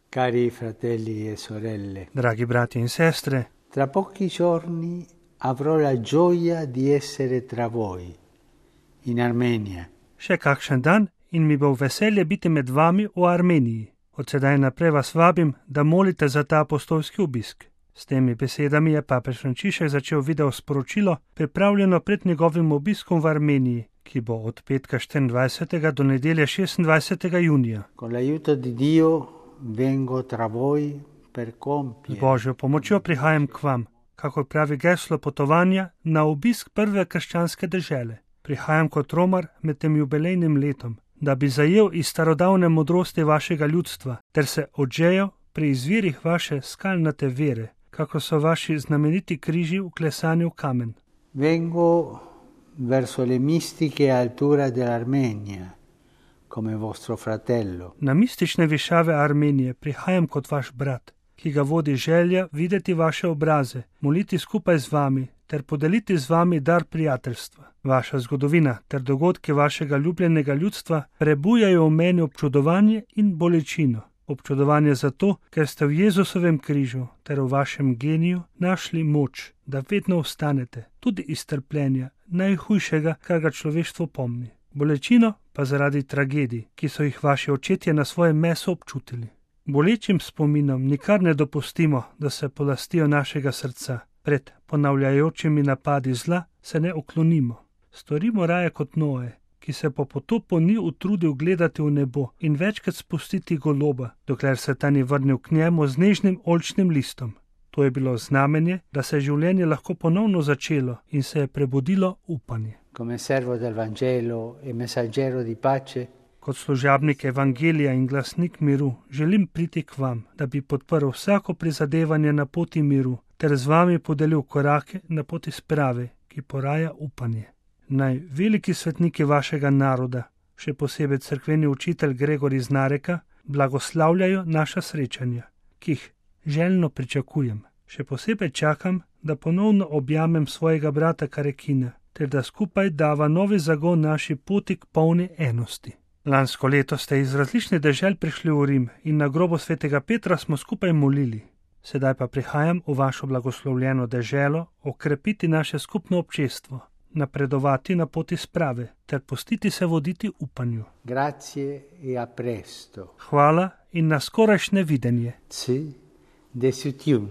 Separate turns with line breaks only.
Cari fratelli e sorelle,
Dragi brati in sestre,
tra pochi giorni avrò la gioia di essere tra voi, in Armenija.
še kakšen dan in mi bo veselje biti med vami v Armeniji. Od sedaj naprej vas vabim, da molite za ta apostolski obisk. S temi besedami je papež Frančišek začel video sporočilo, pripravljeno pred njegovim obiskom v Armeniji, ki bo od petka 24. do nedelje 26. junija.
Con l'aiuto di Dio vengo tra voi per
Z
compiere
Božjo pomočjo prihajam k vam, kako pravi geslo potovanja, na obisk prve krščanske dežele. Prihajam kot romar med tem jubilejnim letom, da bi zajel iz starodavne modrosti vašega ljudstva, ter se odžejal pri izvirih vaše skalnate vere, kako so vaši znameniti križi vklesani v kamen.
Vengo verso le mistiche alture dell'Armenia, come vostro fratello.
Na mistične višave Armenije prihajam kot vaš brat, ki ga vodi želja videti vaše obraze, moliti skupaj z vami ter podeliti z vami dar prijateljstva. Vaša zgodovina ter dogodki vašega ljubljenega ljudstva prebujajo v meni občudovanje in bolečino. Občudovanje zato, ker ste v Jezusovem križu ter v vašem geniju našli moč, da vedno ostanete, tudi iz trpljenja, najhujšega, kar ga človeštvo pomni. Bolečino pa zaradi tragedij, ki so jih vaši očetje na svojem mesu občutili. Bolečim spominom nikar ne dopustimo, da se polastijo našega srca. Pred ponavljajočimi napadi zla se ne uklonimo. Storimo raje kot Noe, ki se po potopu ni utrudil gledati v nebo in večkrat spustiti goloba, dokler se ta ni vrnil k njemu z nežnim oljčnim listom. To je bilo znamenje, da se je življenje lahko ponovno začelo in se je prebudilo upanje.
Come servo del Vangelo e messaggero di pace,
Kot služabnik evangelija in glasnik miru želim priti k vam, da bi podprl vsako prizadevanje na poti miru ter z vami podelil korake na poti sprave, ki poraja upanje. Naj veliki svetniki vašega naroda, še posebej cerkveni učitelj Gregor iz Nareka, blagoslavljajo naša srečanja, ki jih željno pričakujem. Še posebej čakam, da ponovno objamem svojega brata Karekina, ter da skupaj dava novi zagon naši poti k polni enosti. Lansko leto ste iz različnih dežel prišli v Rim in na grobu svetega Petra smo skupaj molili. Sedaj pa prihajam v vašo blagoslovljeno deželo okrepiti naše skupno občestvo, napredovati na poti sprave ter pustiti se voditi upanju.
grazie e a presto.
Hvala in na skorajšnje videnje.
Ci desitium.